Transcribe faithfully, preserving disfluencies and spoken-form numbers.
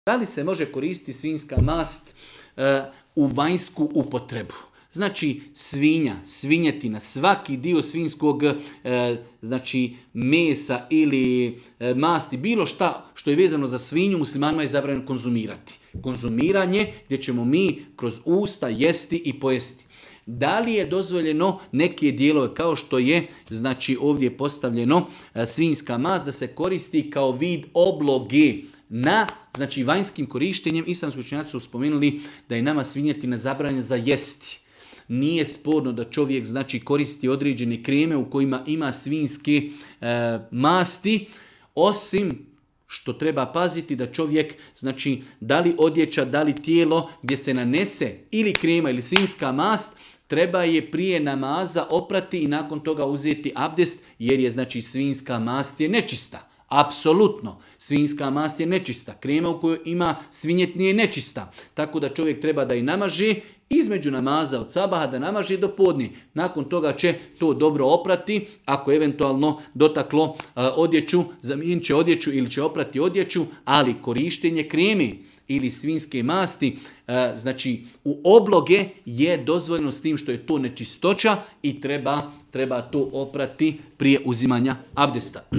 Da li se može koristiti svinjska mast e, u vanjsku upotrebu? Znači svinja, svinjetina, svaki dio svinjskog e, znači mesa ili e, masti, bilo šta što je vezano za svinju, muslimanima je zabranjeno konzumirati. Konzumiranje gdje ćemo mi kroz usta jesti i pojesti. Da li je dozvoljeno neke dijelove kao što je znači ovdje postavljeno e, svinjska mast da se koristi kao vid obloge na znači vanjskim korištenjem? Islamski učenjaci su spomenuli da je nama svinjetina zabranjena za jesti. Nije sporno da čovjek znači koristi određene kreme u kojima ima svinjske e, masti, osim što treba paziti da čovjek, znači da li odjeća, da li tijelo gdje se nanese ili krema ili svinjska mast, treba je prije namaza oprati i nakon toga uzeti abdest, jer je znači svinjska mast je nečista. Apsolutno, svinjska mast je nečista, krema u kojoj ima svinjetnije je nečista, tako da čovjek treba da i namaži između namaza od sabaha, da namaži do podne. Nakon toga će to dobro oprati, ako eventualno dotaklo uh, odjeću, zamijenit će odjeću ili će oprati odjeću, ali korištenje kreme ili svinjske masti, uh, znači u obloge je dozvoljeno s tim što je to nečistoća i treba, treba to oprati prije uzimanja abdesta.